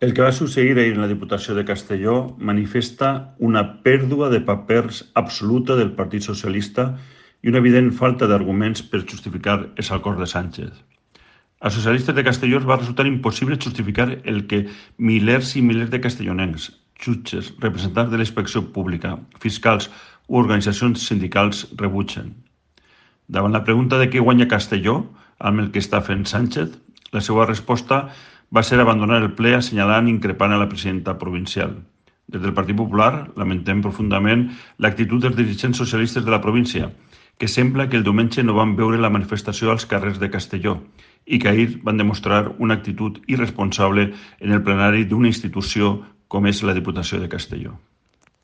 El que va succeir ahir en la Diputació de Castelló manifesta una pèrdua de papers absoluta del Partit Socialista i una evident falta d'arguments per justificar els acords de Sánchez. Als socialistes de Castelló els va resultar impossible justificar el que milers i milers de castellonencs, jutges, representants de la inspecció pública, fiscals o organitzacions sindicals rebutgen. Davant la pregunta de què guanya Castelló amb el que està fent Sánchez, la seva resposta va ser abandonar el ple assenyalant i increpant a la presidenta provincial. Des del Partit Popular lamentem profundament l'actitud dels dirigents socialistes de la província, que sembla que el diumenge no van veure la manifestació als carrers de Castelló i que ahir van demostrar una actitud irresponsable en el plenari d'una institució com és la Diputació de Castelló.